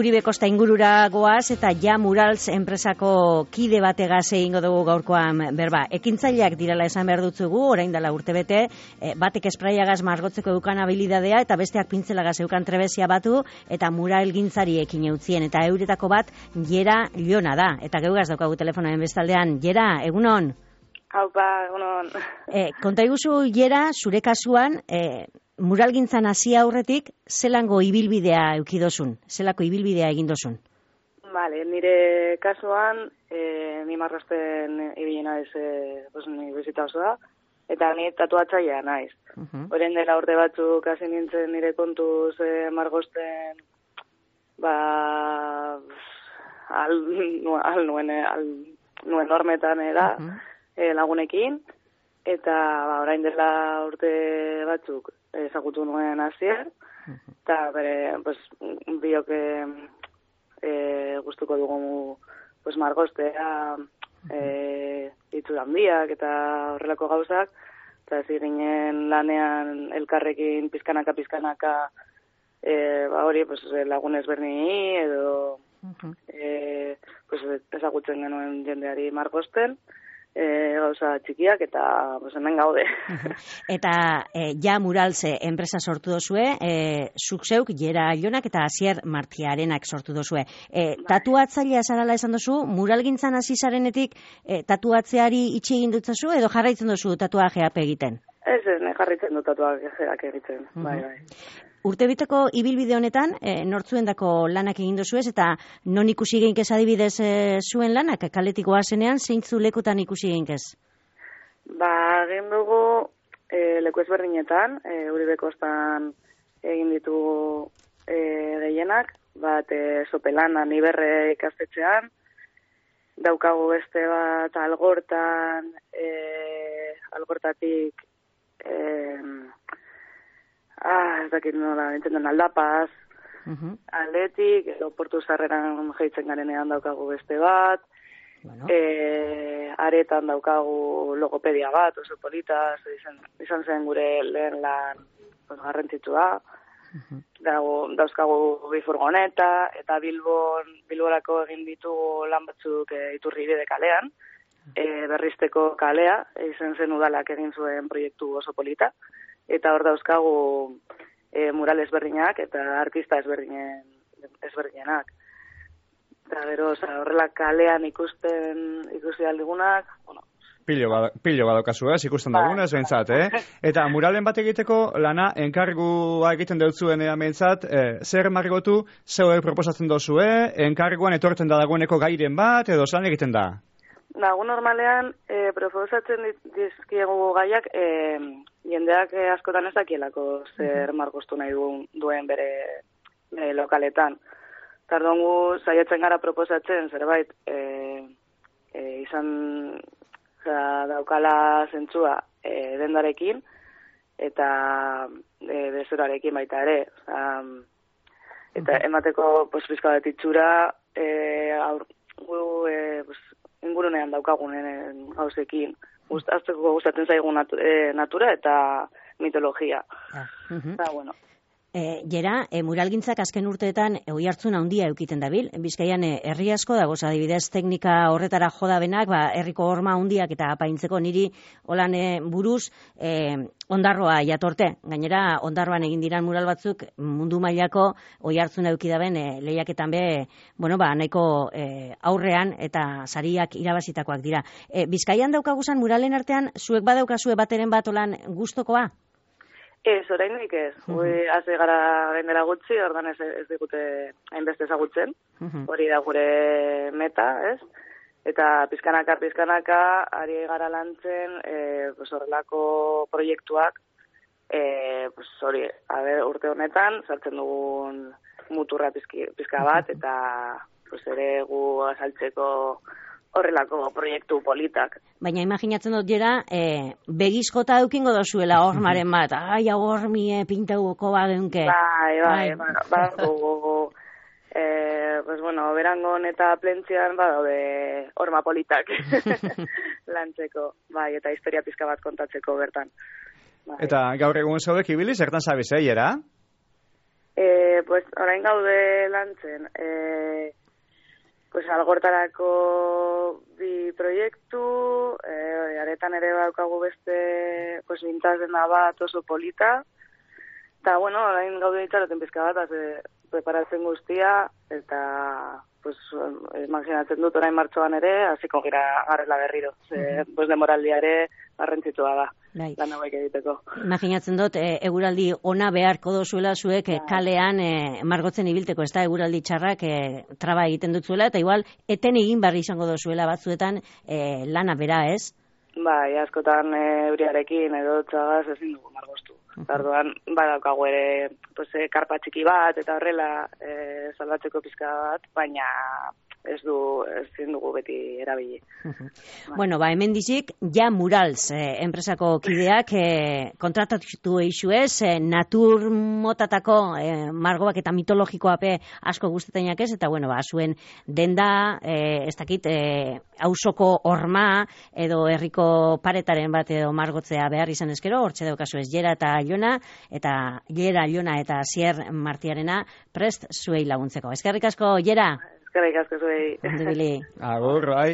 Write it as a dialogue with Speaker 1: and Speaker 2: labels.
Speaker 1: Uribe Kosta ingurura goaz eta Ja Murals enpresako kide bategaz egingo dugu gaurkoan berba. Ekintzaileak direla esan behar dutzugu, orain dela urtebete, batek espraiagaz margotzeko eukan habilidadea eta besteak pintzelagaz eukan trebezia batu eta muralgintzari ekin eutzien. Eta euretako bat Jera Liona da. Eta geugaz daukagu telefonoen bestaldean. Jera, egunon?
Speaker 2: Haupa, egunon.
Speaker 1: Konta iguzu, Jera, zure kasuan, muralgintzan hasi aurretik, zelango ibilbidea eukidozun? Zelako ibilbidea egindozun?
Speaker 2: Vale, nire kasuan, ni marrosten ibilena ez, ni bizita osoa, eta ni tatuatzailea naiz. Horren dela urte batzuk hasi nintzen nire kontuz margosten, nuen hormetan da, lagunekin, eta orain dela urte batzuk ezagutu nuen Asier, eta bere, biok gustuko dugu margostea, itxura handiak eta horrelako gauzak, eta ez ginen lanean elkarrekin pizkanaka, hori lagun ezberdini edo ezagutzen genuen jendeari margosten, gauza txikiak eta hemen gaude.
Speaker 1: Eta Ja Murals enpresa sortu dozue, zuk zeuk Jera Lionak eta Asier Martiarenak sortu dozue. Tatuatzailea zarala esan dozu, muralgintzan hasi zarenetik tatuatzeari itxi egin dutzazu edo jarraitzen dozu tatuajeak egiten?
Speaker 2: Ez, jarraitzen dut tatuajeak egiten, bai.
Speaker 1: Urtebiteko ibilbide honetan, nortzuendako lanak egin dozuez, eta non ikusi geinkez adibidez zuen lanak, kaletik goazenean, zeintzu lekutan ikusi geinkez?
Speaker 2: Egin dugu leku ezberdinetan, Uribe Kostan egin ditu gehienak, bat Sopelana Niberre ikastetxean, daukagu beste bat Algortan, Algortatik ez dakit nola, entzenden Aldapaz, Aldetik, edo Portu Zarreran jaitzen garenean daukagu beste bat, Aretan daukagu logopedia bat, oso polita, izan zen gure lehen lan garrantzitsua, dauzkagu bi furgoneta, eta Bilborako egin ditugu lan batzuk Iturribide kalean, berrizteko kalea, izan zen udalak egin zuen proiektu oso polita, eta hor dauzkagu mural ezberdinak eta artista ezberdinak. Eta gero, horrela kalean ikusi aldigunak,
Speaker 3: Pilo badaukazu, ikusten dagunez, behintzat, Eta muralen bat egiteko lana enkargua egiten deutzuen behintzat, zer margotu, zeu proposatzen dozue, enkarguan etortzen da dagoeneko gairen bat, edo zelan egiten da?
Speaker 2: Gu normalean, proposatzen dizkiegu gaiak, jendeak askotan ez dakielako zer margostu nahi duen bere lokaletan. Tardon gu saiatzen gara proposatzen zerbait izan daukala zentzua dendarekin eta bezorarekin baita ere. Eta emateko pizka bat itxura ingurunean daukagunen gauzekin. Azteko gustatzen zaigu natura eta mitologia. Eta, bueno.
Speaker 1: Jera, muralgintzak azken urteetan oihartzun handia eukiten dabil. Bizkaian herri asko dagoz, adibidez teknika horretara jodabenak, herriko horma handiak eta apaintzeko niri holan buruz ondarroa jatorte. Gainera, ondarroan egin diran mural batzuk mundu mailako oihartzun eukidaben lehiaketan nahiko aurrean eta sariak irabazitakoak dira. Bizkaian daukaguzan muralen artean, zuek badaukazue bateren bat olan gustokoa?
Speaker 2: Ez, oraindik ez. Haze gara gendera gutxi, ordan ez digute hainbeste ezagutzen. Hori da gure meta, ez? Eta pizkanaka ari gara lantzen horrelako proiektuak hori, urte honetan sartzen dugun muturra pizka bat eta ere gu azaltzeko horrelako proiektu politak.
Speaker 1: Baina imaginatzen dut Jera, begizkota eukingo dozuela hormaren bat. Ai, hau hormi pintauko bageunke.
Speaker 2: Bai, berangon eta plentzian badaude horma politak lantzeko. Bai, eta historia pizka bat kontatzeko bertan.
Speaker 3: Eta gaur egun zaudek ibili, zertan zabiz, Jera?
Speaker 2: Pues, orain gaude lantzen, pues, algortarako bi proiektu, aretan ere daukagu beste, pues, bintazena bat oso polita, eta, bueno, orain gaude itxaroten pizka bat, preparatzen guztia, eta, pues, imaginatzen dut orain martxoan ere, hasiko garela berriro. Pues, demoraldia ere garrantzitsua da. Lan hauek egiteko.
Speaker 1: Imaginatzen dut, eguraldi ona beharko dozuela zuek kalean margotzen ibilteko, ez da, eguraldi txarrak traba egiten dutzuela, eta igual, eten egin barri izango dozuela batzuetan lana bera, ez?
Speaker 2: Bai, askotan euriarekin edo txagaz ezin dugu margoztu. Orduan, badaukagu ere, pues, karpa txiki bat, eta horrela salbatzeko pizka bat, baina ezin dugu beti erabili.
Speaker 1: Bueno, hemen dizik, ja Murals enpresako kideak kontratatu eixuez, natur motatako margoak eta mitologikoape asko guztetainak ez, eta bueno, zuen denda, ez dakit, auzoko horma edo herriko paretaren bat edo margotzea behar izan ezkero, hortxe daukazu ez Jera eta Jona, eta Jera, Jona eta Asier Martiarena prest zuei laguntzeko. Eskerrik asko, Jera!
Speaker 2: Eskerrik asko zuei.
Speaker 1: Ondo ibili.
Speaker 3: Agur, bai.